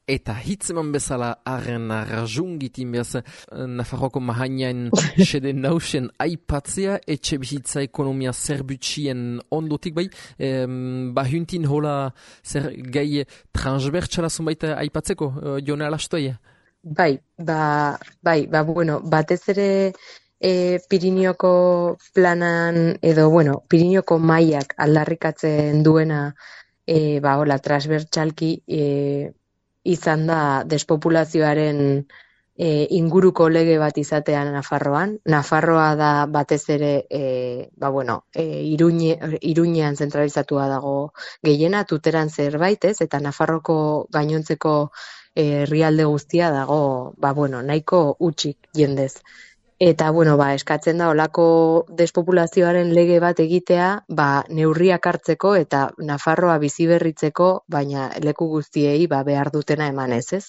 Eta hitzeman bezala arren arrazungitin behaz Nafarroako mahainain sede nausen aipatzea etxe bizitza ekonomia zerbutsien ondotik bai, bahuntin hola zer gai transbertsala zonbait aipatzeko, jone alastoia? Bueno, batez ere Pirineoko planan edo, bueno, Pirineoko mailak aldarrikatzen duena hola, transbertsalki izan da despopulazioaren inguruko lege bat izatea Nafarroan. Nafarroa da batez ere Iruñean zentralizatua dago gehiena, Tuteran zerbait, ez? Eta Nafarroko gainontzeko herrialde guztia dago, nahiko hutsik jendez. Eta, eskatzen da olako despopulazioaren lege bat egitea, neurriak hartzeko eta Nafarroa biziberritzeko, baina leku guztiei behar dutena emanez, ez?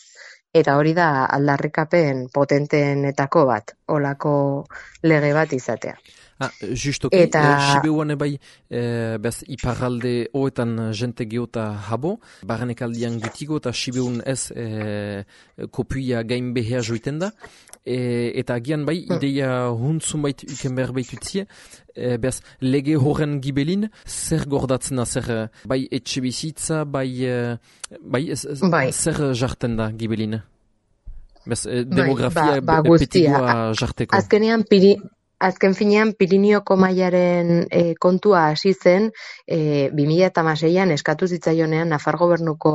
Eta hori da aldarrikapen potenteenetako bat, olako lege bat izatea. Justoki, Sibeuan bai, bez iparralde hoetan jente geota habo, barrenek aldian gutigo eta Sibeun ez kopuia gain behea joiten da, eta agian bai, ideia huntzun bait uken behar baitutzie, bez lege horren gibelin, zer gordatzen da, zer bai etxe bizitza, zer jarten da gibelin? Bez demografia petikoa jarteko. Azken finean, Pirineoko mailaren kontua hasi zen 2016an eskatu zitzaionean Nafar gobernuko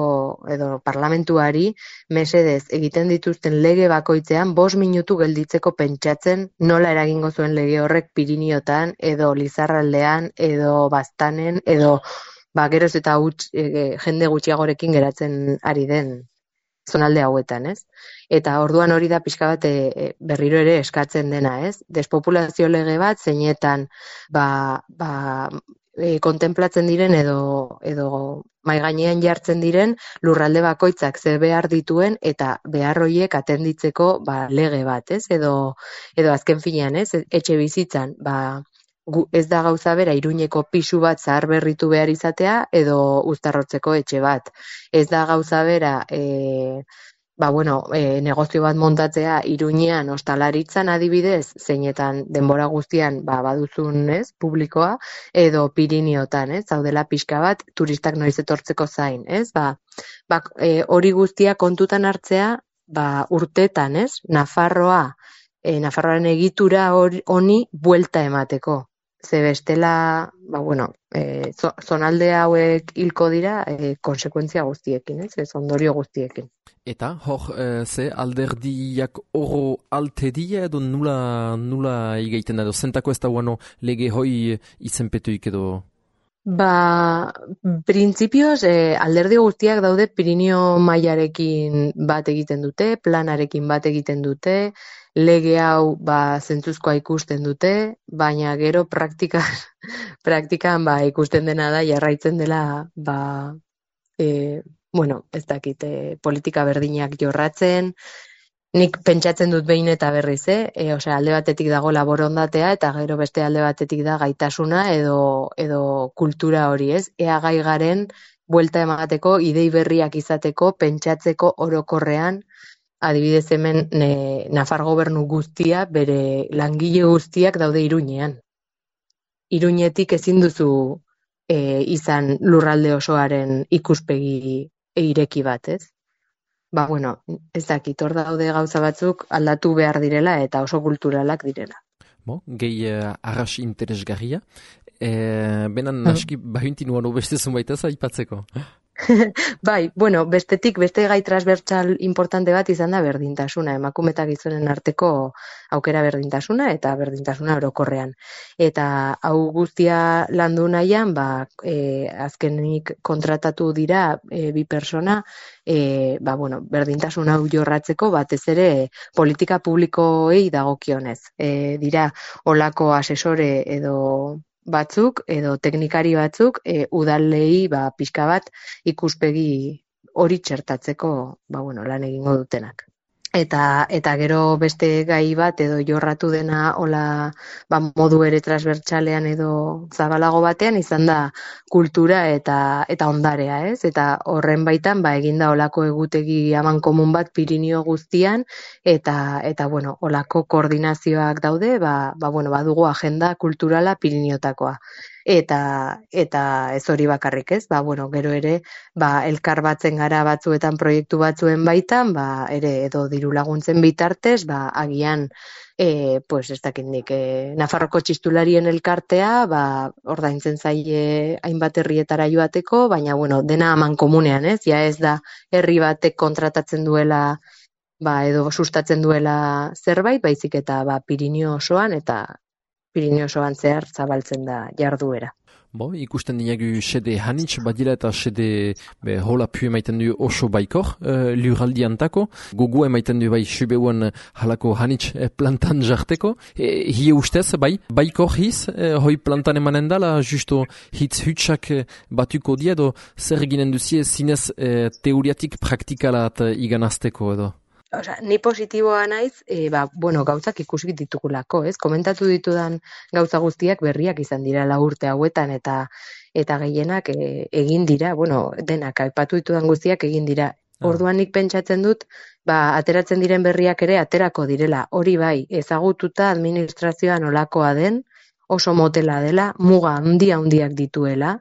edo parlamentuari mesedez egiten dituzten lege bakoitzean 5 minutu gelditzeko pentsatzen nola eragingo zuen lege horrek Pirineotan edo Lizarraldean edo Baztanen edo geroz eta jende gutxiagorekin geratzen ari den zonalde hauetan, ez? Eta orduan hori da pixka bat berriro ere eskatzen dena, ez? Despopulazio lege bat zeinetan kontemplatzen diren edo mai gainean jartzen diren lurralde bakoitzak ze behar dituen eta behar horiek atenditzeko lege bat, ez? Edo azken finean, ez? Etxe bizitzan, ez da gauza bera Iruñeko pisu bat zahar berritu behar izatea edo Uztarrotzeko etxe bat. Ez da gauza bera negozio bat montatzea Iruñean ostalaritzan adibidez, zeinetan denbora guztian baduzun, ez, publikoa, edo Pirineotan, ez, zaudela pixka bat turistak noiz etortzeko zain, ez, hori guztia kontutan hartzea, urtetan, ez, Nafarroaren egitura honi buelta emateko. Ze bestela, zonalde hauek hilko dira konsekuentzia guztiekin, ez ondorio guztiekin. Eta, ze alderdiak oro alte dira edo nula igaiten edo, zentako ez da guano lege hoi izenpetuik edo? Printzipioz, alderdi guztiak daude Pirineo mailarekin bat egiten dute, planarekin bat egiten dute, lege hau zentzuzkoa ikusten dute, baina gero praktikan ikusten dena da jarraitzen dela ez dakit, politika berdinak jorratzen. Nik pentsatzen dut behin eta berriz, alde batetik dago borondatea eta gero beste alde batetik da gaitasuna edo kultura hori, ez? Ea gai garen buelta emateko, idei berriak izateko, pentsatzeko orokorrean, adibidez hemen Nafar gobernu guztia, bere langile guztiak daude Iruñean. Iruñetik ezin duzu izan lurralde osoaren ikuspegi ireki bat, ez? Ez dakit, hor daude gauza batzuk aldatu behar direla eta oso kulturalak direla. Gehi arras interesgarria. Benan aski bahunti nuan obeste zunbaitaz aipatzeko. Bestetik, beste gai transbertsal importante bat izan da berdintasuna, emakume eta gizonen arteko aukera berdintasuna eta berdintasuna orokorrean. Eta hau guztia landu nahian, azkenik kontratatu dira 2 persona, berdintasuna hau jorratzeko batez ere politika publikoei dagokionez. Dira olako asesore edo batzuk edo teknikari batzuk udalei pixka bat ikuspegi hori txertatzeko lan egingo dutenak. Eta gero beste gai bat edo jorratu dena hola modu ere transbertsalean edo zabalago batean izan da kultura eta ondarea, ez? Eta horren baitan eginda holako egutegi amankomun bat Pirinio guztian eta bueno, holako koordinazioak daude, badugu agenda kulturala Piriniotakoa. Eta ez hori bakarrik, ez? Gero ere, elkar batzen gara batzuetan proiektu batzuen baitan, ere edo diru laguntzen bitartez, agian ez dakit nik, Nafarroko txistularien elkartea, ordaintzen zaie hainbat herrietara joateko, baina dena amankomunean, ez? Ja ez da herri batek kontratatzen duela edo sustatzen duela zerbait, baizik eta Pirinio osoan eta Pirinio osoan zehar zabaltzen da jarduera. Ikusten dinagu sede hanitz badila eta sede hola pu emaiten du oso baikor lurraldiantako. Gogu emaiten du subeuan halako hanitz plantan jarteko. Hie ustez, baikor hiz, hoi plantan emanen dala, justo hitz hutsak batuko dia edo zer eginen duzie zinez teoriatik praktikalat iganazteko edo? Ni positiboa naiz, gauzak ikusi ditugulako, ez? Komentatu ditudan gauza guztiak berriak izan dira 4 urte hauetan eta gehienak egin dira, denak aipatu ditudan guztiak egin dira. Orduan nik pentsatzen dut, ateratzen diren berriak ere aterako direla. Hori ezagututa administrazioan olakoa den, oso motela dela, muga handiak dituela.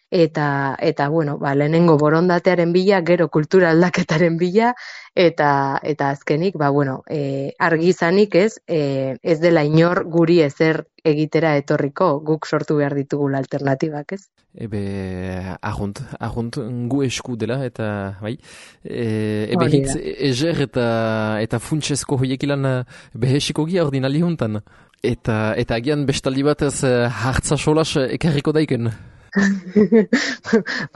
Eta lehenengo borondatearen bila, gero kultura aldaketaren bila, eta azkenik, argi izanik ez dela inor guri ezer egitera etorriko, guk sortu behar ditugula alternatibak, ez? Ahunt, gu esku dela, eta hitz ezer eta funtsezko hoiekilan behesiko gia ordinali hontan. Eta agian bestaldi batez hartza solas ekarriko daiken.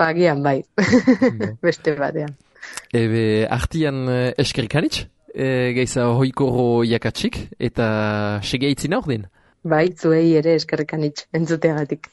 Agian beste batean. Artian eskerikaritz, geiza hoikoro jakatsik, eta segeitzina ordin? Zuei ere eskerikaritz, entzuteagatik.